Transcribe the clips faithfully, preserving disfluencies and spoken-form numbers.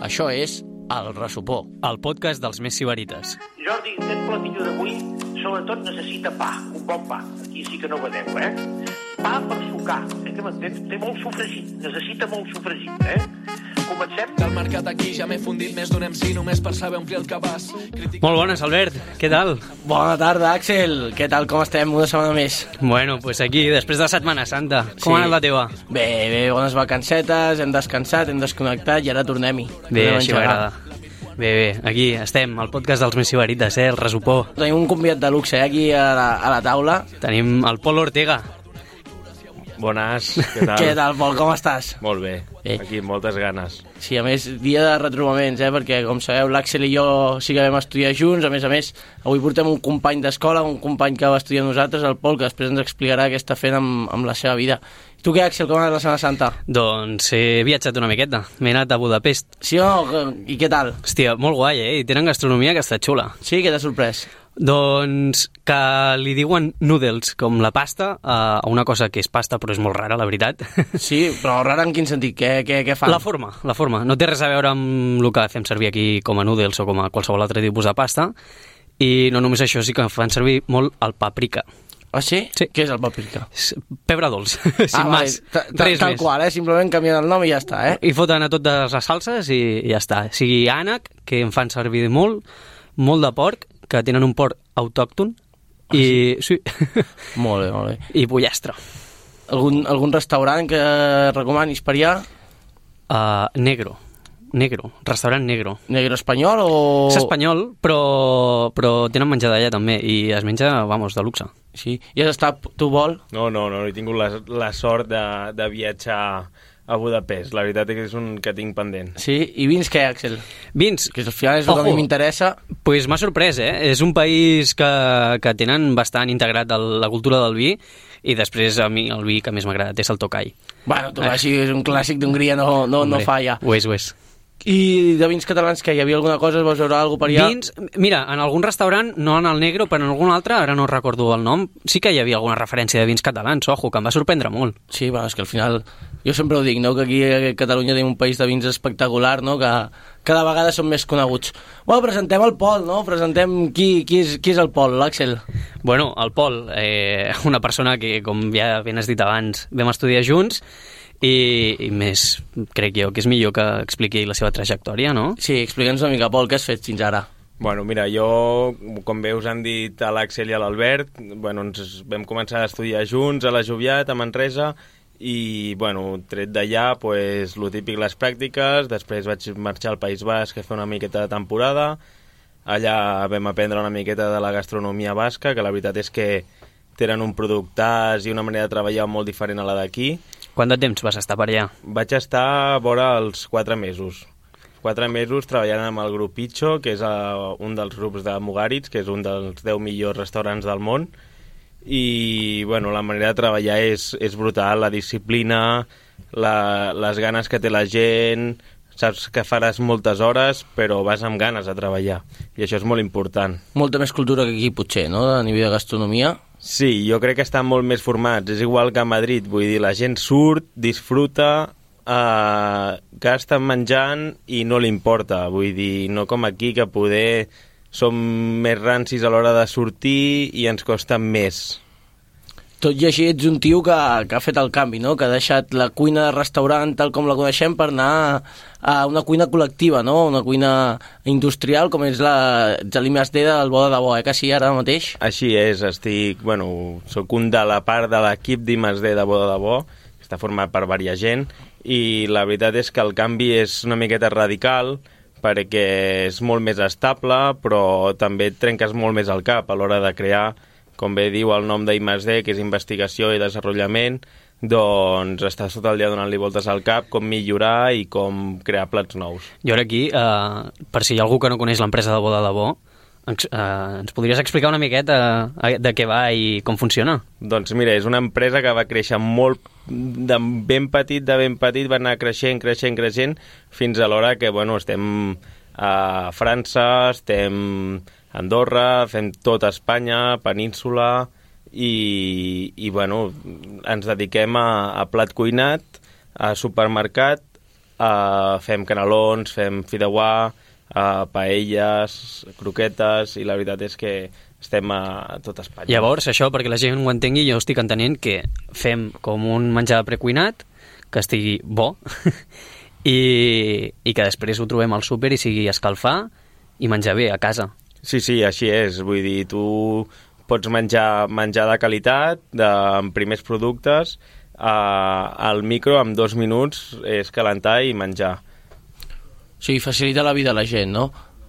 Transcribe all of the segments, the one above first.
Això és El Ressupó, el podcast dels més sibarites. Jordi, aquest platillo d'avui sobretot necessita pa, un bon pa. Aquí sí que no vedeu, eh? Pa per sucar, eh, que m'entens? Té molt sofregit, necessita molt sofregit, eh? Comencem? Del mercat aquí ja m'he fundit més d'un M C només per saber omplir el cabàs. Critic... Molt bones, Albert. Què tal? Bona tarda, Àxel. Què tal, com estem? Una setmana més. Bueno, pues aquí, després de Setmana Santa. Com Sí. ha anat la teva? Bé, bé, bones vacancetes, hem descansat, hem desconnectat i ara tornem-hi. Bé, Tornem a així engegar. m'agrada. Bé, bé, aquí estem, al podcast dels més sibarites, eh? El Ressupó. Tenim un convidat de luxe, eh, aquí a la, a la taula. Tenim el Pol Ortega. Bones, què tal? Què tal, Pol, com estàs? Molt bé, Bé. aquí moltes ganes. Sí, a més, dia de retrobaments, eh, perquè, com sabeu, l'Àxel i jo sí que vam estudiar junts. A més a més, avui portem un company d'escola, un company que va estudiar amb nosaltres, el Pol, que després ens explicarà què està fent amb, amb la seva vida. Tu què, Àxel, com ha anat la Setmana Santa? Doncs he viatjat una miqueta. M'he anat a Budapest. Sí o no? I què tal? Hòstia, molt guai, eh? I tenen gastronomia que està xula. Sí, què t'ha sorprès? Doncs que li diuen noodles, com la pasta, a una cosa que és pasta però és molt rara, la veritat. Sí, però rara en quin sentit? Què, què, què fan? La forma, la forma. No té res a veure amb el que fem servir aquí com a noodles o com a qualsevol altre tipus de pasta. I no només això, sí que fan servir molt el paprika. Ah, sí? Sí. Què és el paprika? És pebre dolç, sin Ah, vale, més. ta- ta- Res tal més. qual, eh? Simplement canvien el nom i ja està, eh? I foten a totes les salses i, i ja està. O sigui, ànec, que en fan servir molt, molt de porc, que tenen un porc autòcton, Ah, i, sí. Molt bé, molt bé. i pollastre. Algun, algun restaurant que recomanis per allà? Uh, negro. Negro. Restaurant negro. Negro espanyol o...? És espanyol, però, però tenen menjar d'allà també, i es menja, vamos, de luxe. Sí. I has estat, tu vol? No, no, no, he tingut la, la sort de, de viatjar a Budapest. La veritat és que és un que tinc pendent. Sí. I vins què, Àxel? Vins, Que al final és el que a mi Ojo. m'interessa. pues m'ha sorprès, eh? És un país que, que tenen bastant integrat el, la cultura del vi, i després a mi el vi que més m'ha agradat és el Tokaj. Bueno, tu així és un clàssic d'Hongria, no, no, no Hombre, falla. Ho és, ho és. I de vins catalans, que hi havia alguna cosa? Es vols veure alguna cosa per allà? Vins, mira, en algun restaurant, no en el negro, però en algun altre, ara no recordo el nom, sí que hi havia alguna referència de vins catalans, ojo, que em va sorprendre molt. Sí, bueno, és que al final... Jo sempre ho dic, no?, que aquí a Catalunya tenim un país de vins espectacular, no?, que cada vegada són més coneguts. Bueno, presentem el Pol, no? Presentem qui, qui, és, qui és el Pol, l'Àxel. Bueno, el Pol, eh, una persona que, com ja ben has dit abans, vam estudiar junts, i, i més, crec jo, que és millor que expliqui la seva trajectòria, no? Sí, explica'ns una mica, Pol, què has fet fins ara? Bueno, mira, jo, com bé us han dit a l'Àxel i a l'Albert, bueno, ens vam començar a estudiar junts a la Joviat, a Manresa, i, bueno, tret d'allà, pues, lo típic, les pràctiques, després vaig marxar al País Basc a fer una miqueta de temporada, allà vam aprendre una miqueta de la gastronomia basca, que la veritat és que tenen un productàs i una manera de treballar molt diferent a la d'aquí. Quant de temps vas estar per allà? Vaig estar vora els quatre mesos. Quatre mesos treballant amb el grup Picho, que és uh, un dels grups de Mugaritz, que és un dels deu millors restaurants del món. I, bueno, la manera de treballar és, és brutal, la disciplina, la, les ganes que té la gent, saps que faràs moltes hores, però vas amb ganes a treballar. I això és molt important. Molta més cultura que aquí, potser, no?, a nivell de gastronomia. Sí, jo crec que estan molt més formats. És igual que a Madrid, vull dir, la gent surt, disfruta, eh, gasta menjant i no li importa. Vull dir, no com aquí, que poder som més rancis a l'hora de sortir i ens costa més. Tot i així ets un tio que, que ha fet el canvi, no?, que ha deixat la cuina de restaurant tal com la coneixem per anar a una cuina col·lectiva, no?, una cuina industrial com és la I més D del Bo de Debò, eh, que sí, ara mateix? Així és, estic, bueno, soc un de la part de l'equip d'I més D de Bo de Debò, que està format per varia gent, i la veritat és que el canvi és una miqueta radical, perquè és molt més estable, però també et trenques molt més el cap a l'hora de crear, com bé diu el nom d'I més D, que és investigació i desenvolupament, doncs estàs tot el dia donant-li voltes al cap, com millorar i com crear plats nous. Jo ara aquí, eh, per si hi ha algú que no coneix l'empresa de Bo de Debò, ens, eh, ens podries explicar una miqueta eh, de què va i com funciona? Doncs mira, és una empresa que va créixer molt, de ben petit, de ben petit, va anar creixent, creixent, creixent, fins a l'hora que, bueno, estem a França, estem a Andorra, fem tot Espanya, península, i, i bueno, ens dediquem a, a plat cuinat, a supermercat uh, fem canelons, fem fideuà, uh, paelles, croquetes, i la veritat és que estem a tot Espanya. Llavors, això, perquè la gent ho entengui, jo estic entenent que fem com un menjar precuinat, que estigui bo, i, i que després ho trobem al súper i sigui escalfar i menjar bé a casa. Sí, sí, així és. Vull dir, tu pots menjar menjar de qualitat, de, amb primers productes, eh, al micro en dos minuts és calentar i menjar. O sigui, facilita la vida a la gent, no?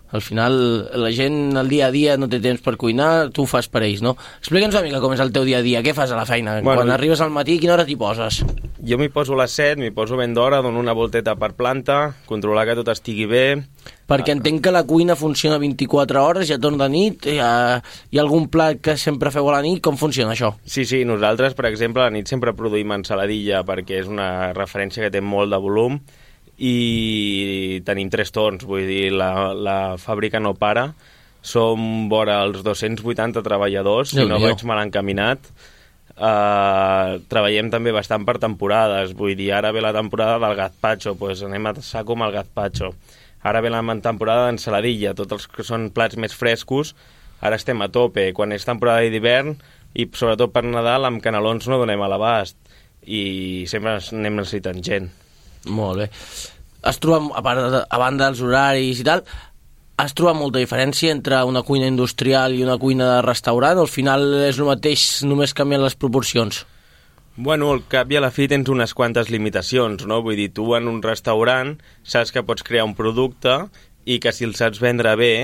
Al final, la gent al dia a dia no té temps per cuinar, tu ho fas per ells, no? Explica'ns una mica com és el teu dia a dia, què fas a la feina? Bueno, quan arribes al matí, quina hora t'hi poses? Jo m'hi poso a les set, m'hi poso ben d'hora, dono una volteta per planta, controlar que tot estigui bé. Perquè entenc que la cuina funciona vint-i-quatre hores, ja torn de nit, hi ha, hi ha algun plat que sempre feu a la nit, com funciona això? Sí, sí, nosaltres, per exemple, a la nit sempre produïm ensaladilla, perquè és una referència que té molt de volum, i tenim tres torns, vull dir, la, la fàbrica no para, som vora els dos-cents vuitanta treballadors, si no vaig mal encaminat. Uh, treballem també bastant per temporades, vull dir, ara ve la temporada del gazpacho, doncs anem a saco amb el gazpacho. Ara ve la temporada d'ensaladilla, tots els que són plats més frescos, ara estem a tope. Quan és temporada d'hivern, i sobretot per Nadal, amb canelons no donem a l'abast, i sempre anem necessitant gent. Molt bé. Es troba, a, part de, a banda dels horaris i tal, has trobat molta diferència entre una cuina industrial i una cuina de restaurant? Al final és el mateix, només canvien les proporcions? Bueno, al cap i a la fi tens unes quantes limitacions, no? Vull dir, tu en un restaurant saps que pots crear un producte i que si el saps vendre bé,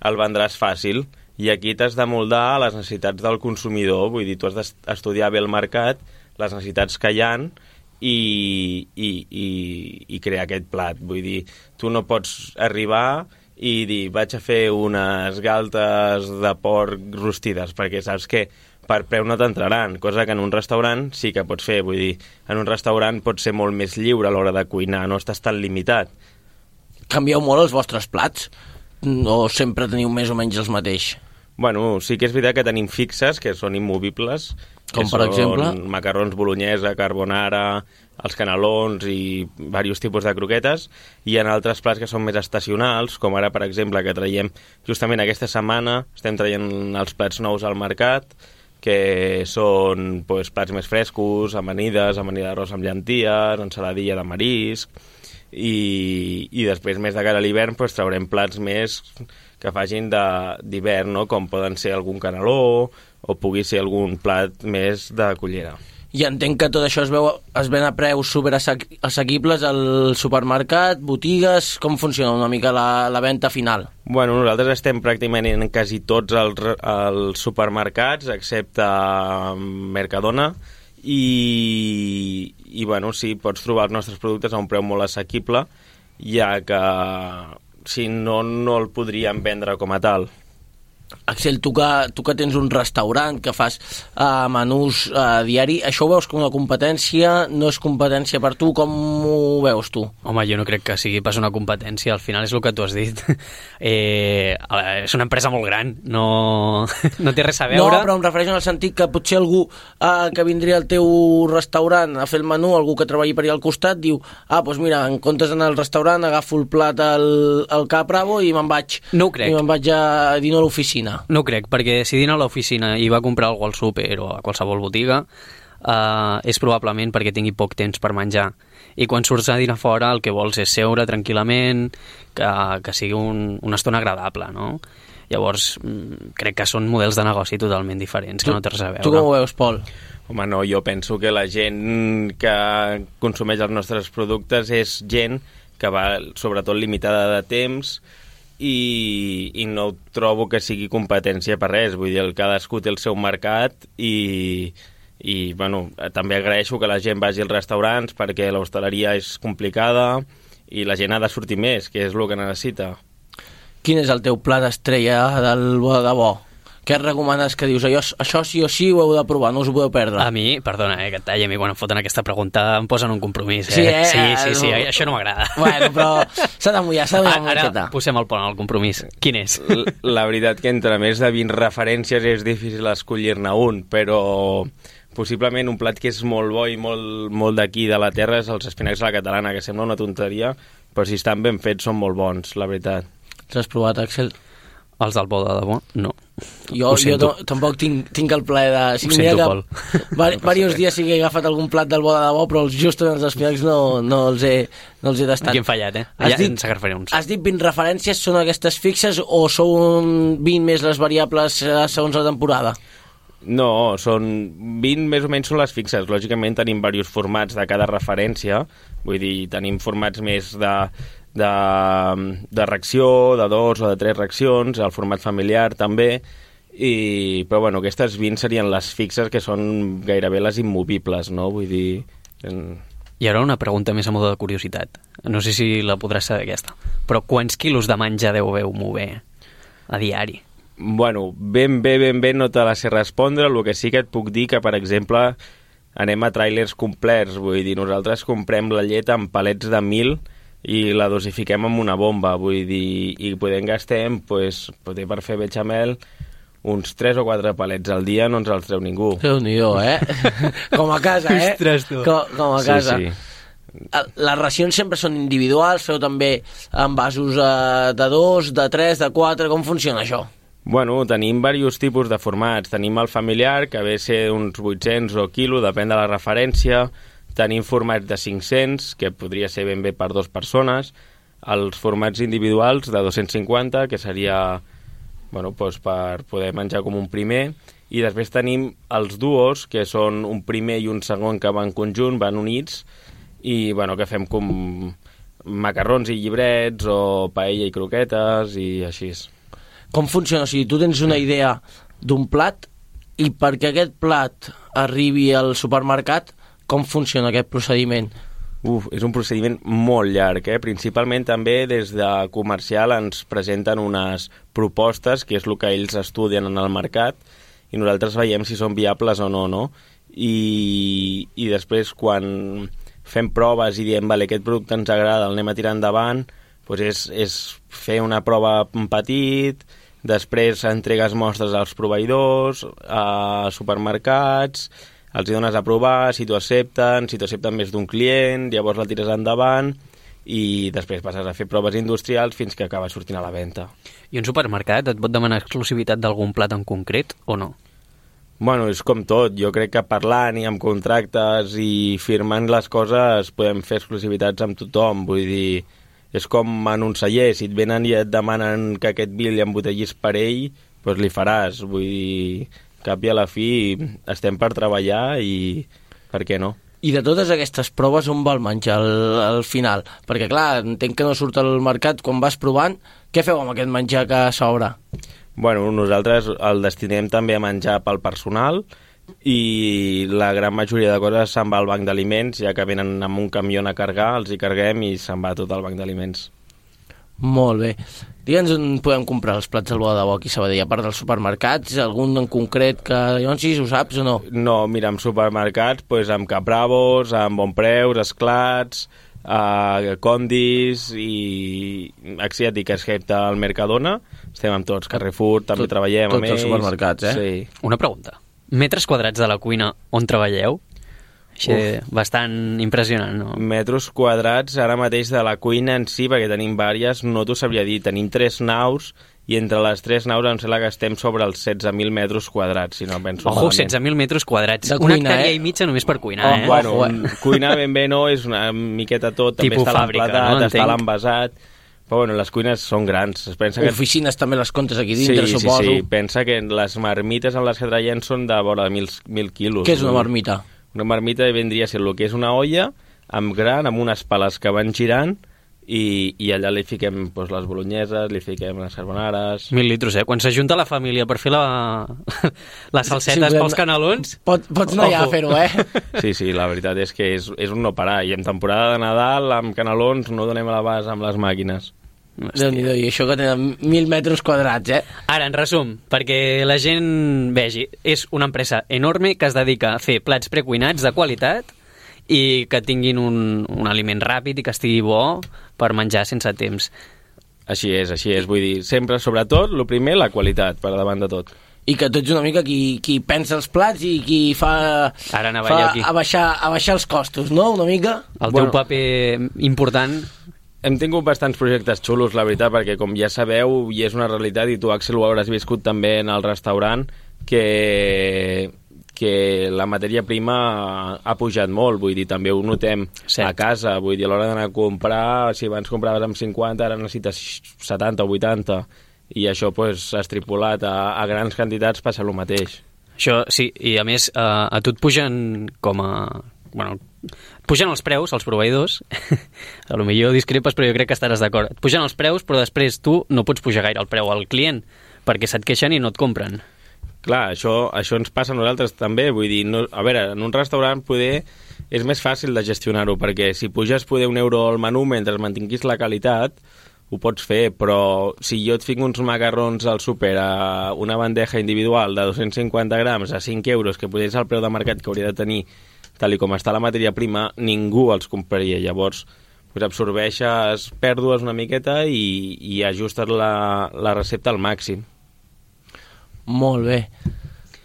el vendràs fàcil. I aquí t'has de moldar a les necessitats del consumidor. Vull dir, tu has d'estudiar bé el mercat, les necessitats que hi ha, I, i, i, i crear aquest plat. Vull dir, tu no pots arribar i dir, vaig a fer unes galtes de porc rostides, perquè saps que per preu no t'entraran, cosa que en un restaurant sí que pots fer. Vull dir, en un restaurant pots ser molt més lliure a l'hora de cuinar, no estàs tan limitat. Canvieu molt els vostres plats? O sempre teniu més o menys els mateix? Bueno, sí que és veritat que tenim fixes, que són immovibles, com per exemple? Macarrons bolognesa, carbonara, els canelons i diversos tipus de croquetes, i en altres plats que són més estacionals, com ara, per exemple, que traiem justament aquesta setmana, estem traient els plats nous al mercat, que són pues, plats més frescos, amanides, amanida d'arròs amb llenties, ensaladilla de marisc, i, i després, més de cara a l'hivern, pues, traurem plats més que facin d'hivern, no? Com poden ser algun caneló o pugui ser algun plat més de cullera. I entenc que tot això es, veu, es ven a preus superassequibles al supermercat, botigues, com funciona una mica la, la venda final? Bueno, nosaltres estem pràcticament en quasi tots els, els supermercats, excepte Mercadona, i, i bueno, sí, pots trobar els nostres productes a un preu molt assequible, ja que si no, no el podríem vendre com a tal. Axel, tu que, tu que tens un restaurant, que fas uh, menús uh, diari, això ho veus com una competència? No és competència per tu? Com ho veus tu? Home, jo no crec que sigui pas una competència, al final és el que tu has dit. Eh, és una empresa molt gran, no, no té res a veure. No, però em refereixo en el sentit que potser algú uh, que vindria al teu restaurant a fer el menú, algú que treballi per allà al costat, diu, ah, doncs mira, en comptes d'anar al restaurant, agafo el plat al, al Cap Bravo i me'n vaig, no ho crec. I me'n vaig a dinar a l'oficina. No crec, perquè si dina a l'oficina i va comprar alguna cosa al súper o a qualsevol botiga, eh, és probablement perquè tingui poc temps per menjar. I quan surts a dinar fora el que vols és seure tranquil·lament, que, que sigui un, una estona agradable, no? Llavors, crec que són models de negoci totalment diferents, que tu, no té res a veure. Tu com ho veus, Pol? Home, no, jo penso que la gent que consumeix els nostres productes és gent que va sobretot limitada de temps, I, i no trobo que sigui competència per res. Vull dir, el cadascú té el seu mercat i, i bueno, també agraeixo que la gent vagi als restaurants perquè l'hostaleria és complicada i la gent ha de sortir més, que és el que necessita. Quin és el teu plat estrella del bo de bo? Què et recomanes que dius, això, això sí o sí ho heu de provar, no us ho podeu perdre? A mi, perdona, eh, que et talli, a mi quan em foten aquesta pregunta em posen un compromís, eh? Sí, eh? Sí, sí, sí, no. Això no m'agrada. Bueno, però s'ha de mullar, s'ha de mullar. Ara posem el pont al compromís. Quin és? La veritat que entre més de vint referències és difícil escollir-ne un, però possiblement un plat que és molt bo i molt, molt d'aquí, de la terra, és els espinacs a la catalana, que sembla una tonteria, però si estan ben fets són molt bons, la veritat. Els has provat, Axel? Els del bo de debò, no. Jo, jo to, tampoc tinc, tinc el plaer de... Sí, ho sento, Pol. Diversos dies sí que he agafat algun plat del bo de debò, però els just els espinacs no, no, els he, no els he tastat. Aquí hem fallat, eh? Has Ja dit, ens agafaré uns. Has dit vint referències, són aquestes fixes o són vint més les variables segons la temporada? No, són vint més o menys són les fixes. Lògicament tenim diversos formats de cada referència, vull dir, tenim formats més de... De, de reacció, de dos o de tres reaccions, el format familiar també, i, però bueno, aquestes vint serien les fixes, que són gairebé les immovibles, no? Vull dir... En... I ara una pregunta més a moda de curiositat. No sé si la podràs saber aquesta, però quants quilos de menjar deveu mover a diari? Bueno, ben bé, ben bé no te la sé respondre, el que sí que et puc dir que, per exemple, anem a tràilers complets, vull dir, nosaltres comprem la llet en palets de mil i la dosifiquem amb una bomba, vull dir, i podem gastem, pues, poder per fer bechamel, uns tres o quatre palets al dia no ens els treu ningú. Déu-n'hi-do, eh? Com a casa, eh? Ostres, tu. Com, com a casa. Sí, sí. Les racions sempre són individuals, feu també en vasos eh, de dos, de tres, de quatre, com funciona això? Bueno, tenim diversos tipus de formats. Tenim el familiar, que ve a ser uns vuit-cents o quilo, depèn de la referència. Tenim formats de cinc-cents, que podria ser ben bé per dues persones. Els formats individuals de dos-cents cinquanta, que seria bueno, doncs per poder menjar com un primer. I després tenim els duos, que són un primer i un segon que van conjunt, van units, i bueno, que fem com macarrons i llibrets, o paella i croquetes, i així. Com funciona? O sigui, tu tens una idea d'un plat, i perquè aquest plat arribi al supermercat, com funciona aquest procediment? Uf, és un procediment molt llarg, eh? Principalment també des de comercial ens presenten unes propostes, que és el que ells estudien en el mercat, i nosaltres veiem si són viables o no, no? I, i després quan fem proves i diem, vale, aquest producte ens agrada, el anem a tirar endavant, doncs és, és fer una prova petit, després entregues mostres als proveïdors, a supermercats, els hi dones a provar, si t'ho accepten, si t'ho accepten més d'un client, llavors la tires endavant i després passes a fer proves industrials fins que acaba sortint a la venda. I un supermercat et pot demanar exclusivitat d'algun plat en concret o no? Bueno, és com tot. Jo crec que parlant i amb contractes i firmant les coses podem fer exclusivitats amb tothom. Vull dir, és com en un celler. Si et venen i et demanen que aquest vi li embotellis per ell, doncs li faràs. Vull dir, cap i a la fi estem per treballar i per què no? I de totes aquestes proves on va el menjar al, al final? Perquè clar, entenc que no surt al mercat quan vas provant. Què feu amb aquest menjar que s'obre? Bueno, nosaltres el destinem també a menjar pel personal i la gran majoria de coses se'n va al banc d'aliments, ja que venen amb un camió a carregar, els hi carreguem i se'n va tot al banc d'aliments. Molt bé. Digue'ns on podem comprar els plats del bo de debò aquí a Sabadell, a part dels supermercats, algun en concret que llavors sí, ho saps o no? No, mira, en supermercats, doncs amb Capravos, amb Bonpreus, Esclats, a Condis i asiàtic, excepte al Mercadona, estem amb tots, Carrefour, també Tot, treballem amb ells. Tots els supermercats, eh? Sí. Una pregunta. Metres quadrats de la cuina on treballeu? Així, bastant impressionant, no? Metres quadrats ara mateix de la cuina en si, perquè tenim vàries, no t'ho sabria dir. Tenim tres naus i entre les tres naus em sembla que estem sobre els setze mil metres quadrats, si no penso Ojo, malament. setze mil metres quadrats. De Una cuina, hectàrea eh? i mitja només per cuinar, Oh, eh? Bueno, Ojo, un, cuinar ben bé no, és una miqueta tot, també Tipus està fàbrica, l'emplatat, no? està Entenc. l'envasat, però bueno, les cuines són grans. Es pensa que... Oficines també les comptes aquí dintre, sí, suposo. Sí, sí, pensa que les marmites en les que traiem són de vora de mil, mil quilos. Què és una marmita? Una marmita vendria a ser el que és una olla amb gran, amb unes pales que van girant i, i allà li fiquem doncs, les bolonyeses, li fiquem les carbonares... Mil litros, eh? Quan s'ajunta la família per fer la... les salsetes Sí, pels canelons... Pot, pots anar allà a fer-ho, eh? Sí, sí, la veritat és que és, és un no parar. I en temporada de Nadal, amb canelons, no donem a l'abast amb les màquines. Déu-n'hi-do, i això que tenen mil metres quadrats, eh? Ara, en resum, perquè la gent vegi, és una empresa enorme que es dedica a fer plats precuinats de qualitat i que tinguin un, un aliment ràpid i que estigui bo per menjar sense temps. Així és, així és. Vull dir, sempre, sobretot, el primer, la qualitat, per davant de tot. i que tu ets una mica qui, qui pensa els plats i qui fa, Ara anava fa jo aquí. abaixar, abaixar els costos, no? Una mica? El teu Bueno. paper important... Hem tingut bastants projectes xulos, la veritat, perquè com ja sabeu, i és una realitat, i tu, Axel, ho hauràs viscut també en el restaurant, que, que la matèria prima ha pujat molt, vull dir, també ho notem Cert. a casa, vull dir, a l'hora d'anar a comprar, si abans compraves amb cinquanta, ara necessites setanta o vuitanta, i això pues, estripolat a, a grans quantitats passa el mateix. Això, sí, i a més, eh, a tu et pugen com a... Bueno, et pugen els preus, els proveïdors, a lo millor discrepes, però jo crec que estaràs d'acord. Et pugen els preus, però després tu no pots pujar gaire el preu al client, perquè se't queixen i no et compren. Clar, això, això ens passa a nosaltres també, vull dir, no, a veure, en un restaurant poder és més fàcil de gestionar-ho, perquè si puges poder un euro al menú mentre mantinguis la qualitat, ho pots fer, però si jo et fico uns macarrons al súper a una bandeja individual de dos-cents cinquanta grams a cinc euros, que potser és el preu de mercat que hauria de tenir, tal i com està la matèria prima, ningú els compraria. Llavors, pues absorbeixes pèrdues una miqueta i, i ajustes la, la recepta al màxim. Molt bé.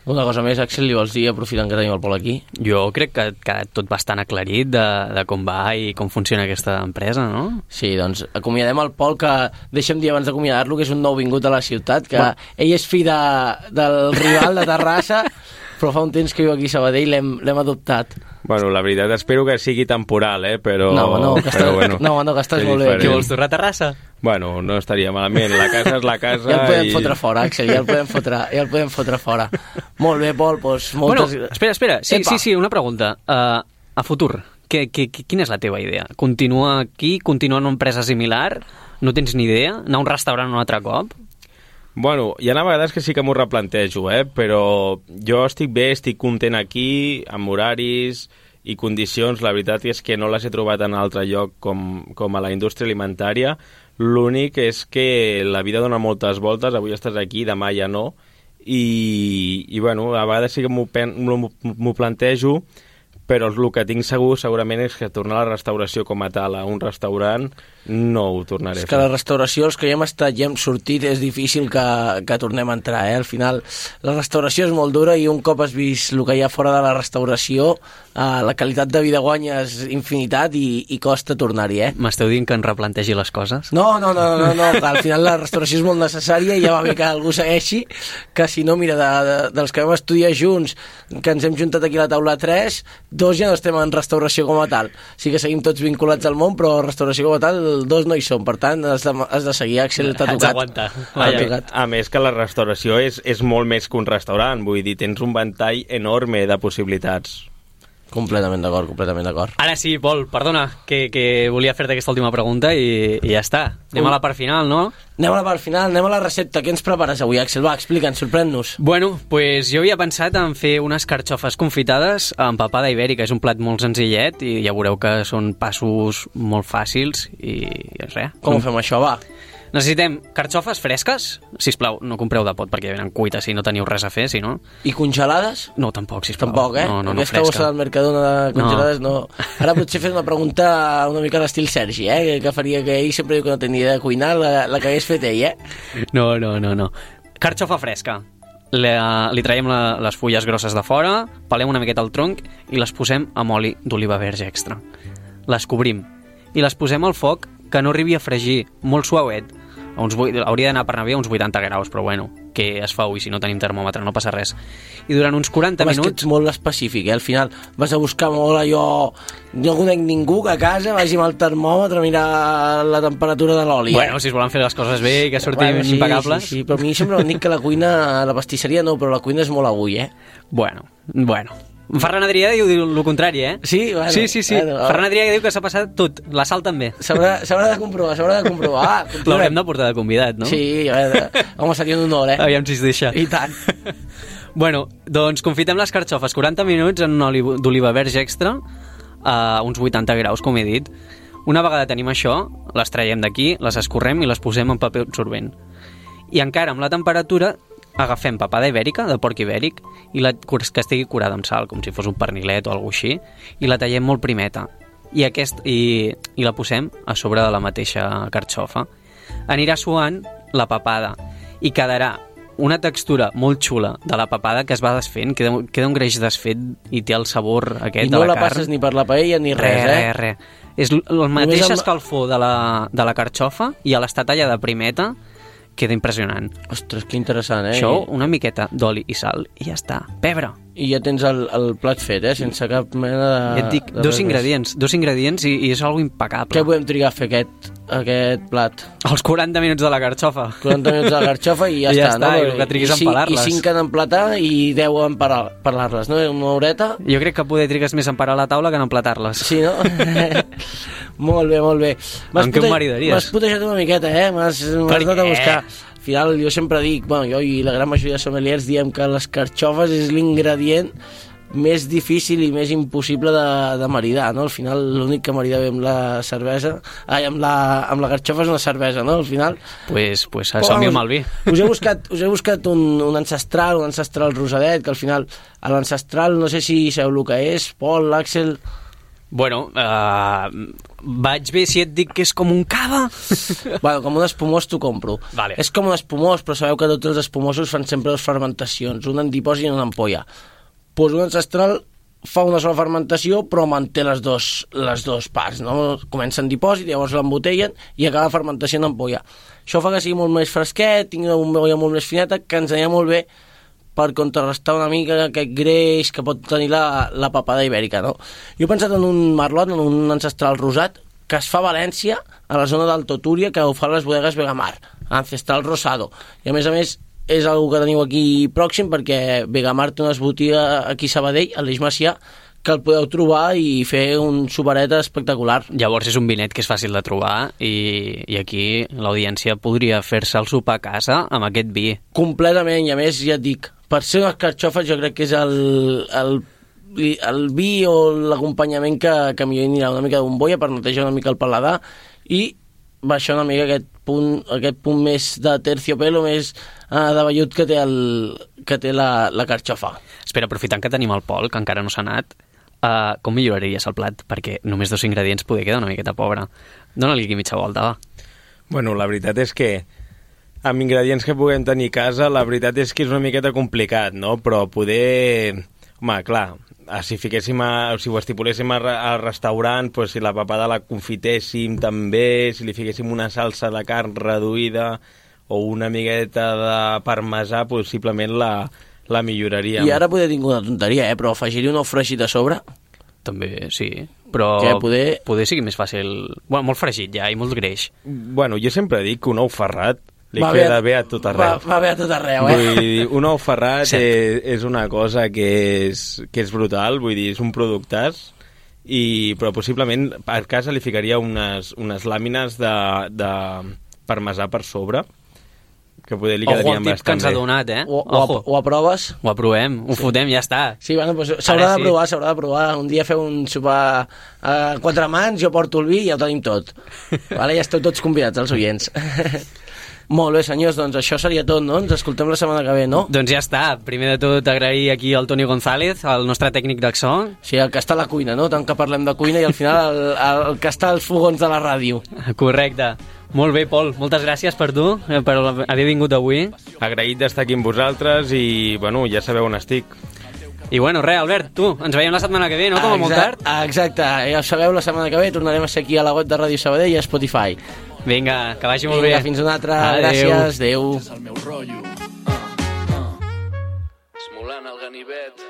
Una cosa més, Axel, li vols dir, aprofitant que tenim el Pol aquí? Jo crec que ha quedat tot bastant aclarit de, de com va i com funciona aquesta empresa, no? Sí, doncs acomiadem el Pol, que deixa'm dir abans d'acomiadar-lo que és un nou vingut a la ciutat, que bueno. ell és fill de, del rival de Terrassa, però fa un temps que viu aquí a Sabadell, l'hem adoptat. Bueno, la veritat, espero que sigui temporal, eh? Però... No, no, que estàs, bueno, no, no, que estàs molt bé. Què vols tornar a Terrassa? Bueno, no estaria malament. La casa és la casa ja el podem i... fotre fora, Axel, ja el podem fotre, ja el podem fotre fora. Molt bé, Pol, doncs moltes... Bueno, espera, espera, sí, Epa. sí, sí, una pregunta. Uh, a futur, que, que, que, quina és la teva idea? Continuar aquí, continuar en una empresa similar? No tens ni idea? Anar a un restaurant un altre cop? Bueno, hi ha a vegades que sí que m'ho replantejo, eh? Però jo estic bé, estic content aquí, amb horaris i condicions. La veritat és que no les he trobat en altre lloc com, com a la indústria alimentària. L'únic és que la vida dona moltes voltes, avui estàs aquí, demà ja no, i, i bueno, a vegades sí que m'ho plantejo, però el que tinc segur segurament és que tornar a la restauració com a tal, a un restaurant, no ho tornaré. És que la restauració, els que ja hem estat i hem sortit, és difícil que, que tornem a entrar, eh? Al final, la restauració és molt dura i un cop has vist el que hi ha fora de la restauració, eh, la qualitat de vida guanya és infinitat i, i costa tornar-hi, eh? M'esteu dient que en replantegi les coses? No, no, no, no, no, que al final la restauració és molt necessària i ja va bé que algú segueixi, que si no, mira, de, de, dels que vam estudiar junts, que ens hem juntat aquí a la taula tres, dos ja no estem en restauració com a tal. Sí que seguim tots vinculats al món, però restauració com a tal, dos no hi som. Per tant, has de, has de seguir, Axel, t'ha tocat. Aguanta. A, tocat. A més que la restauració és, és molt més que un restaurant, vull dir, tens un ventall enorme de possibilitats. Completament d'acord, completament d'acord. Ara sí, Pol, perdona, que, que volia fer-te aquesta última pregunta i, i ja està. Anem a la part final, no? Anem a la part final, anem a la recepta. Què ens prepares avui, Axel? Va, explica'ns, sorprèn-nos. Bueno, pues jo havia pensat en fer unes carxofes confitades amb papada ibèrica. És un plat molt senzillet i ja veureu que són passos molt fàcils i res. Com ho fem això, va? Necessitem carxofes fresques. Sisplau, no compreu de pot perquè venen cuites si no teniu res a fer, si no. I congelades? No, tampoc, sisplau. Tampoc, eh? No, no, no, Aquesta fresca. bossa del Mercadona de congelades no. no. Ara potser fer una pregunta una mica a l'estil Sergi, eh? Que, que faria que ell sempre diu que no tenia idea de cuinar, la, la que hagués fet ell, eh? No, no, no, no. Carxofa fresca. Le, li traiem la, les fulles grosses de fora, pelem una miqueta el tronc i les posem amb oli d'oliva verge extra. Les cobrim i les posem al foc que no arribi a fregir, molt suauet. A uns, hauria d'anar per anar bé a uns vuitanta graus, però bueno, que es fa, i si no tenim termòmetre no passa res. I durant uns quaranta Home, minuts... és que ets molt específic, eh? Al final vas a buscar molt allò... No conec ningú que a casa vagi amb el termòmetre a mirar la temperatura de l'oli. Bueno, eh? Si es volen fer les coses bé i que surtin bueno, sí, impecables... Sí, sí, però a mi sempre m'han dit que la cuina, la pastisseria no, però la cuina és molt avui, eh? Bueno, bueno... Ferran Adrià diu el contrari, eh? Sí, bueno, sí, sí, sí. Bueno, Ferran Adrià diu que s'ha passat tot, la sal també. S'haurà de comprovar, s'haurà de comprovar. Ah, l'haurem de portar de convidat, no? Sí, a veure, home, seria un honor, eh? Aviam si es deixa. I tant. Bueno, doncs confitem les carxofes quaranta minuts en un oli d'oliva verge extra a uns vuitanta graus, com he dit. Una vegada tenim això, les traiem d'aquí, les escorrem i les posem en paper absorbent. I encara amb la temperatura agafem papada ibèrica, de porc ibèric, i la, que estigui curada amb sal, com si fos un pernilet o alguna així, i la tallem molt primeta. I, aquest, i, i la posem a sobre de la mateixa carxofa. Anirà suant la papada i quedarà una textura molt xula de la papada que es va desfent, queda, queda un greix desfet i té el sabor aquest I de no la, la carn. passes ni per la paella ni res, Re, eh? re, re. És l- el mateix amb- escalfor de la, de la carxofa i a l'estar tallada primeta queda impressionant. Ostres, que interessant, eh? Això, una miqueta d'oli i sal i ja està. Pebre. I ja tens el, el plat fet, eh? Sense cap mena de... Ja et dic, de dos res ingredients, dos ingredients i, i és algo més. impecable. Què podem trigar a fer aquest, aquest plat? Els quaranta minuts de la carxofa. quaranta minuts de garxofa i ja, I ja està, està, no? i el que triguis I a cinc- empalar-les. I cinc en emplatar i deu en parar- parlar-les, no? Una horeta. Jo crec que poder trigues més a emparar la taula que en emplatar-les. Sí, no? Molt bé, molt bé. M'has Amb què em pute- maridaries? M'has putejat una miqueta, eh? M'has m'has anat a què? buscar. Al final, jo sempre dic, bueno, jo i la gran majoria de sommeliers diem que les carxofes és l'ingredient més difícil i més impossible de, de maridar, no? Al final, l'únic que marida bé amb la cervesa... Ai, amb la, amb la carxofa és una cervesa, no? Al final... Pues, pues som-hi amb el vi. Us he buscat, us he buscat un, un ancestral, un ancestral rosadet, que al final, a l'ancestral, no sé si sabeu el que és, Pol, l'Àxel... Bueno, uh, vaig bé si et dic que és com un cava. Bueno, com un espumós t'ho compro. Vale. És com un espumós, però sabeu que tots els espumosos fan sempre dues fermentacions, un en dipòsit i un en ampolla. Pues un ancestral fa una sola fermentació, però manté les dos, les dos parts, no? Comença en dipòsit, llavors l'embotellen i acaba la fermentació en ampolla. Això fa que sigui molt més fresquet, tingui una ampolla molt més fineta, que ens anirà molt bé per contrarrestar una mica aquest greix que pot tenir la, la papada ibèrica, no? Jo he pensat en un merlot, en un ancestral rosat, que es fa a València, a la zona d'Alto Túria, que ho fa les bodegues Vegamar, ancestral rosado. I a més a més és una que teniu aquí pròxim, perquè Vegamar té unes botigues aquí a Sabadell, a l'Eix Macià, que el podeu trobar i fer un superet espectacular. Llavors és un vinet que és fàcil de trobar i, i aquí l'audiència podria fer-se el sopar a casa amb aquest vi. Completament, i a més ja et dic, per ser unes carxofes jo crec que és el, el, el vi o l'acompanyament que, que millor anirà, una mica de bombolla per netejar una mica el paladar i baixar una mica aquest punt, aquest punt més de terciopelo, més uh, de vellut que té, el, que té la, la carxofa. Espera, aprofitant que tenim el Pol, que encara no s'ha anat, uh, com milloraries el plat? Perquè només dos ingredients poder quedar una miqueta pobre. Dóna-li aquí mitja volta, va. Bueno, la veritat és que amb ingredients que puguem tenir a casa, la veritat és que és una miqueta complicat, no? Però poder... Home, clar, si fiquéssim a, si ho estipuléssim al restaurant, pues, si la papada la confitéssim també, si li fiquéssim una salsa de carn reduïda o una miqueta de parmesà, possiblement la, la milloraríem. I ara poder tinc una tonteria, eh? Però afegir-hi un ou fregit a sobre... També, sí. Però Que poder... poder sigui més fàcil... Bueno, molt fregit ja i molt greix. Bueno, jo sempre dic que un ou ferrat li Va queda bé, bé a tot arreu. Va, va bé a tot arreu, eh? Vull dir, un ou ferrat Cert. és, és una cosa que és, que és brutal, vull dir, és un productàs, i, però possiblement a casa li ficaria unes, unes làmines de, de parmesà per sobre, que poder li Ojo quedarien al tip que bastant ens ha bé. donat, eh? O, o, Ojo. o aproves? Ho aprovem, ho fotem, ja està. Sí, bueno, doncs s'haurà Ara de sí. provar, s'haurà de provar. Un dia feu un sopar a quatre mans, jo porto el vi i ja ho tenim tot. Vale, ja esteu tots convidats, els oients. Molt bé, senyors, doncs això seria tot, no? Ens escoltem la setmana que ve, no? Doncs ja està. Primer de tot, agrair aquí al Toni González, el nostre tècnic de so. Sí, el que està a la cuina, no? Tant que parlem de cuina i al final el, el, el que està als fogons de la ràdio. Correcte. Molt bé, Pol. Moltes gràcies per tu, eh, per haver vingut avui. Agraït d'estar aquí amb vosaltres i, bueno, ja sabeu on estic. I bueno, res, Albert, tu, ens veiem la setmana que ve, no? Com a molt tard. Exacte, exacte, ja ho sabeu, la setmana que ve tornarem a ser aquí a la web de Ràdio Sabadell i a Spotify. Vinga, que vagi molt Vinga, bé. fins una altra. Adéu. Gràcies, adéu. És el meu rotllo. Uh, uh. Esmolant el ganivet.